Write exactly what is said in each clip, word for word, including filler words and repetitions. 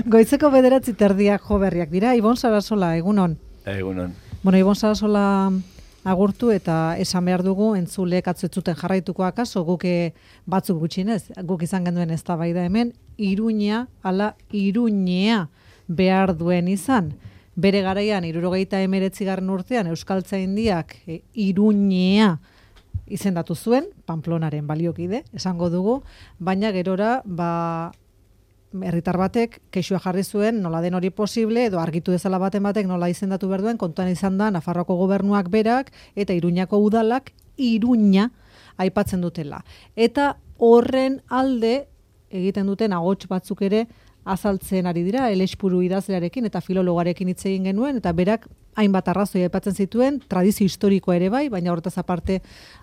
Goizeko bederatzi terdiak jo berriak dira. Ibon Sarasola, egunon. Egunon. Bueno, Ibon Sarasola agurtu eta esan behar dugu entzulek atzuetzuten jarraituko akaso guke batzuk gutxinez, guk izan genduen eztabaida hemen, Iruña ala Iruñea behar duen izan. Bere garaian hirurogeita hemeretzigarren urtean Euskaltzaindiak e, Iruñea izendatu zuen, Pamplonaren baliokide, esango dugu, baina gerora, ba, herritar batek kexua jarri zuen nola den hori posible edo argitu dezala baten batek nola izendatu behar duen, kontuan izan da Nafarroako gobernuak berak eta Iruñako udalak Iruña aipatzen dutela. Eta horren alde egiten duten ahots batzuk ere azaltzen ari dira, Elespuru idazlearekin eta filologarekin hitz egin genuen, eta berak hainbat arrazoi aipatzen zituen, tradizio historikoa ere bai, baina horretaz aparte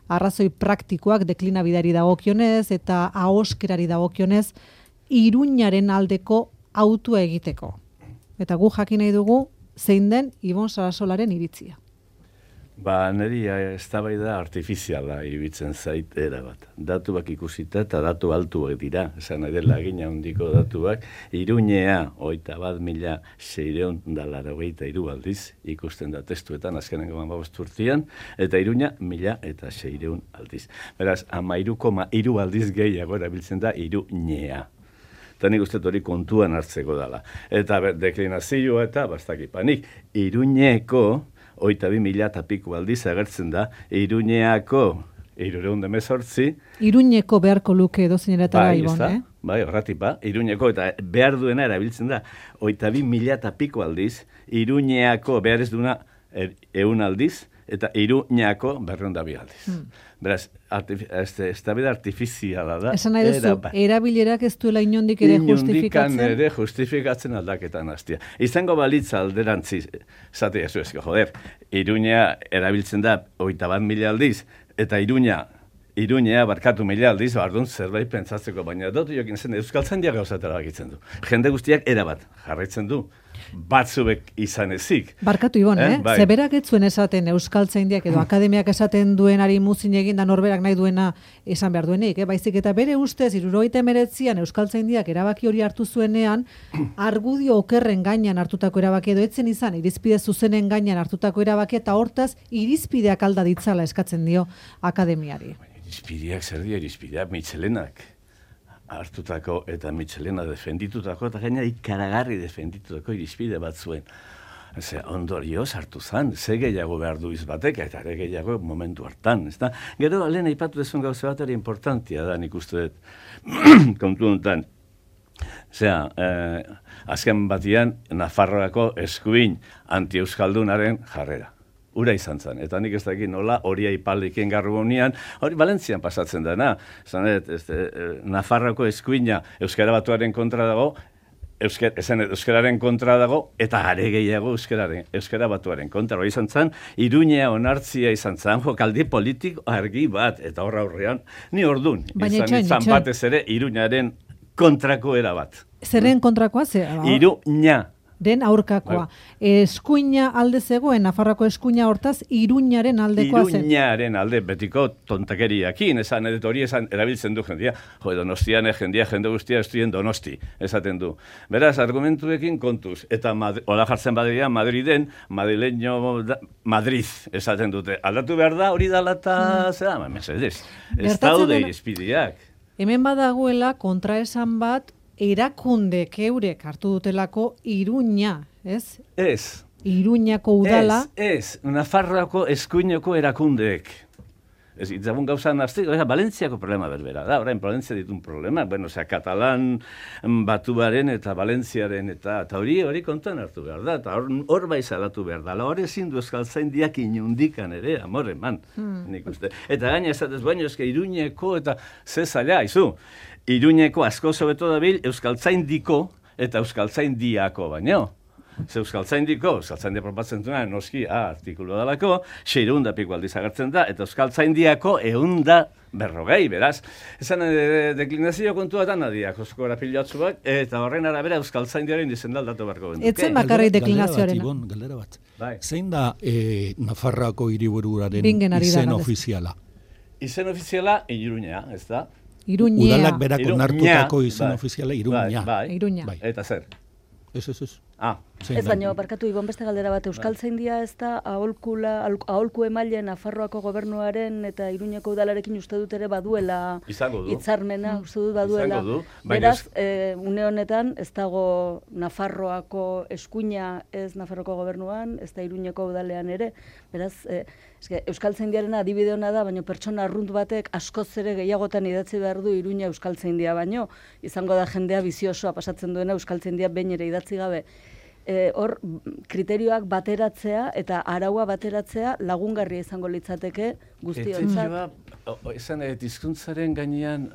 arrazoi praktikoak deklinabidari dagokionez eta ahoskerari dagokionez Iruñaren aldeko autua egiteko. Eta gu jakin nahi dugu zein den Ibon Sarasolaren iritzia. Ba, niri eztabaida artifiziala iruditzen zait erabat. Datuak ikusita eta datu altuak dira, esan nahi dela egina handiko datuak, Iruñea hogeita bat mila seiehun eta laurogeita hiru aldiz ikusten da testuetan azkenengo hamabost urtean, eta Iruña mila eta seiehun aldiz. Beraz, hamairu koma hiru aldiz gehiago erabiltzen da Iruñea. Eta nik uste hori kontuan hartzeko dela. Eta deklinazioa eta bastakipanik, Iruñeko hogeita bi mila eta piku aldiz agertzen da, Iruñeako hirurehun eta hemezortzi. Iruñeko beharko luke edozinetara bai, Ibon, eh? Bai, horratipa, Iruñeko eta behar duena erabiltzen da, hogeita bi mila eta piku aldiz, Iruñeako behar ez duna ehun aldiz, eta Iruñako berrehun eta bi aldiz. Hmm. Beraz, eztabaida artifiziala da. Esan nahi duzu, erabilerak ez duela inondik ere justifikatzen? Inondikan ere justifikatzen aldaketan hastia. Izango balitza alderantzi, zate ez ezko, joder, Iruña erabiltzen da hogeita bat mila aldiz, eta Iruña, Iruñea barkatu mila aldiz, bardun zerbait pentsatzeko, baina dut jokin zen Euskaltzaindiak gauzatera bakitzen du. Jende guztiak erabat jarraitzen du. Batzuek izan ezik. Barkatu Ibon, eh? eh? Bai. Zeberak ez zuen esaten Euskaltzaindiak edo akademiak esaten duenari muzin egin da norberak nahi duena esan behar duenik, eh? Baizik eta bere ustez hirurogeita hemeretzian Euskaltzaindiak erabaki hori hartu zuenean, argudio okerren gainean hartutako erabaki edo etzen izan, irizpide zuzenen gainean hartutako erabaki eta hortaz irizpideak alda ditzala eskatzen dio akademiari. Irizpideak zer dio irizpideak Michelenak hartutako eta Michelena defenditutako eta gaina ikaragarri defenditutako irizpide bat zuen. Ze ondorioz hartu zan, ze gehiago behar du izbatek eta ere gehiago momentu hartan. Ezta? Gero, lehen aipatu dezun gauza bat ere importantia da, nik uste dut kontu honetan. Zea, eh, azken batian, Nafarroako eskuin anti-euskaldunaren jarrera. Ura izan zen, eta nik ez dakit nola hori aipaldiken garru honean, hori Valentzian pasatzen dena. Zanet, este, Nafarroako eskuina Euskara Batuaren kontra dago, Euskara, esan, Euskararen kontra dago, eta are gehiago Euskararen, Euskara Batuaren kontra. Hori izan zen, Iruñea onartzia izan zen, jokaldi politiko argi bat, eta horra aurrean, ni ordun, izan izan batez ere Iruñaren kontrako era bat. Zeren kontrakoa ze? Iruña. Den aurkakoa. Eskuina alde zegoen, Nafarroako eskuina hortaz, Iruñaren aldekoa zen. Iruñaren alde, betiko tontakeriakin, esan edet hori esan erabiltzen du jendia. Jo, Donostian jendia, jende guztia estudien Donosti, esaten du. Beraz, argumentuekin kontuz, eta hola jartzen badean, Madriden, madrileño Madrid, esaten dute. Aldatu behar da, hori dala eta, hmm. zera, mesedez, ez daude irizpideak. Hemen badagoela kontraesan bat, erakundek eurek hartu dutelako Iruña, ez? Ez. Iruñako udala. Ez, ez. Nafarroako eskuineko erakundeek. Ez, itzagun gauza nazti, Valentziako problema berbera da, orain Valentzia ditun problema, bueno, osea, Katalan Batuaren eta Valentziaren eta hori hori kontuan hartu behar da, eta hor, hor bai salatu behar da, hor ezin du Euskaltzaindiak inundikan ere, amore, man, hmm. nik uste. Eta gaina esatez baino, eske Iruñeko eta ze zaila, izu, Iruñeko asko sobeto dabil Euskaltzaindiko eta Euskaltzaindiako baino. Ze Euskaltzaindiko, Euskaltzaindia proposatzen duena, noski, ah, artikulu dalako, seiehun da piko aldiz agertzen da, eta Euskaltzaindiako ehun da berrogei, beraz. Esan de, deklinazio kontua da nadiak, oskora pilatzuak, eta horren arabera Euskaltzaindiaren izendal datu barko bendu. Etzen bakarri deklinazioaren. Galdera bat, Ibon, galdera bat. Bai. Zein da eh, Nafarroako hiribururaren izen ofiziala? Izen ofiziala, Iruña, ez da? Iruñea. Udalak berak onartutako izen bai. ofiziala, Iruña. Bai, bai. Iruña. Bai. Eta zer? Ez, ez, ez. Ah, ez baino, barkatu Ibon beste galdera bat, Euskaltzaindia ez da aholkula, aholku emaile Nafarroako gobernuaren eta Iruñeko udalarekin uste dut ere baduela hitzarmena, uste dut baduela. Du, beraz, e, une honetan ez dago Nafarroako eskuina ez Nafarroako gobernuan, ez da Iruñeko udalean ere. Beraz, e, eske, Euskaltzaindiaren adibide hona da, baino pertsona arrunt batek askoz ere gehiagotan idatzi behar du Iruña Euskaltzaindia baino, izango da jendea biziosoa pasatzen duena Euskaltzaindia behin ere idatzi gabe. Hor, e, kriterioak bateratzea eta araua bateratzea lagungarria izango litzateke guztiontzat. Esan, hizkuntzaren gainean,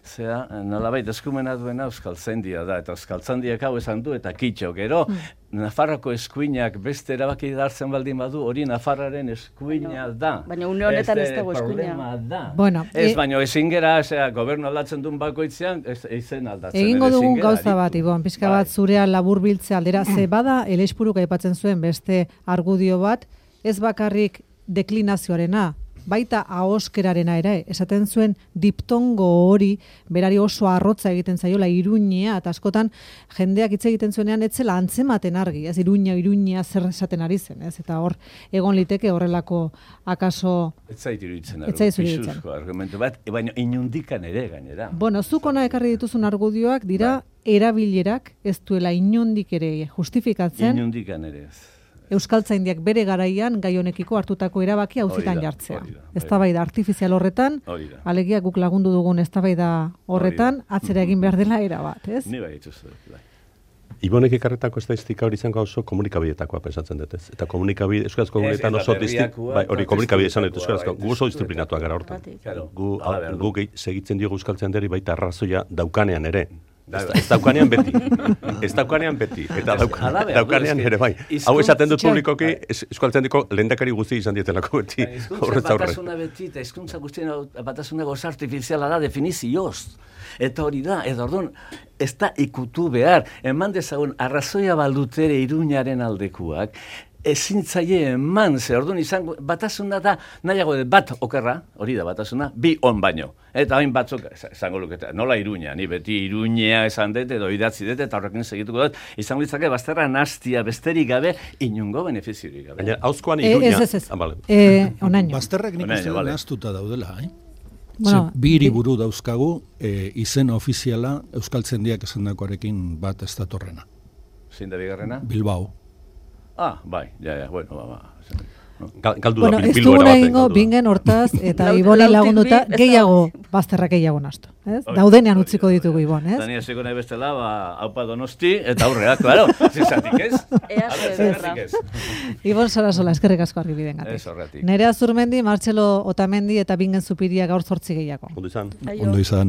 zera, nolabait eskumena duena Euskaltzaindia da, eta Euskaltzaindiak hau esan du, eta kitxo, gero, mm. Nafarroko eskuinak beste erabaki dartzen baldin badu, hori Nafarraren eskuina da. Baina une honetan ez dago eskuina. Bueno, ez, e... baina ezin gera, zera, gobernu aldatzen duen bakoitzean, izen aldatzen. Egingo dugun gauza bat, Ibon, pixka bat zurea labur biltzea aldera, ze bada, elespuruk aipatzen zuen beste argudio bat, ez bakarrik deklinazioarena, baita ahoskerarena ere, esaten zuen diptongo hori, berari oso arrotza egiten zaiola Iruñea, eta askotan jendeak hitz egiten zuenean etzela antzematen argi, ez Iruña, Iruña zer esaten ari zen, ez, eta hor egon liteke horrelako akaso... Ez zait iruditzen, pisuzko argumentu bat, baina inundikan ere gainera. Bueno, zuk ona ekarri dituzun argudioak dira erabilerak ez duela inundik ere justifikatzen. Inundikan ere ez. Euskaltzaindiak bere garaian gai honekiko hartutako erabaki auzitan jartzea. Eztabaida artifizial horretan, alegia guk lagundu dugun eztabaida horretan, atzera egin behar dela era bat, ez? Ni bai ituzte. Ibonek ekarretako estatistika hori izango oso komunikabideetakoa pensatzen dut, ez? Eta komunikabide, euskarazko komunikabideetan oso distintu, bai, hori komunikabide izan dut euskarazko, gu oso disiplinatuak gara hortan. Gu segitzen diogu Euskaltzaindiari baita arrazoia daukanean ere. Ez daukanean beti, ez daukanean beti, eta daukanean ere bai. Hau esaten dut publikoki, Euskaltzaindiko lehendakari guzti izan dietelako beti. Hizkuntza batasuna beti, eta hizkuntza guztien batasuna goz artifiziala da definizioz. Eta hori da, edo orduan, ez da ikutu behar, eman dezagun arrazoia baldutere Iruñaren aldekuak, ezin zaie eman, ze orduan izango, batasuna da, nahiago bat okerra, hori da batasuna, bi on baino. Eta hain batzuk, izango luketa, nola Iruña, ni beti Iruña esan dut, edo idatzi dut, eta horrekin segituko dut, izango litzake bazterra nastia besterik gabe, inungo benefiziorik gabe. Baina, hauzkoan Iruña... Ez, ez, ez, onaino. Bazterrak nik uste dut nahastuta daudela, eh? Bueno, bi hiriburu dauzkagu, e, izen ofiziala Euskaltzaindiak esandakoarekin bat ez datorrena. Zein da bigarrena? Bilbao. Ah, bai, ja, ja, bueno, ba, ba. Galdu bueno, da, ez duguna egingo, bingen hortaz, eta Iboni lagunduta, gehiago, bazterrak gehiago nastu. Daudenean utziko ditugu Ibon, ez? Dani hasiko nahi bestela, ba, haupa Donosti, eta aurrea, klaro, zizatik ez? Ea ez. Ibon Sarasola, eskerrik asko argibiden gatik. Ez horretik. Nerea Zurmendi, Martxelo Otamendi eta Bingen Zupiria gaur zortzi gehiago. Ondo izan. Ondo izan.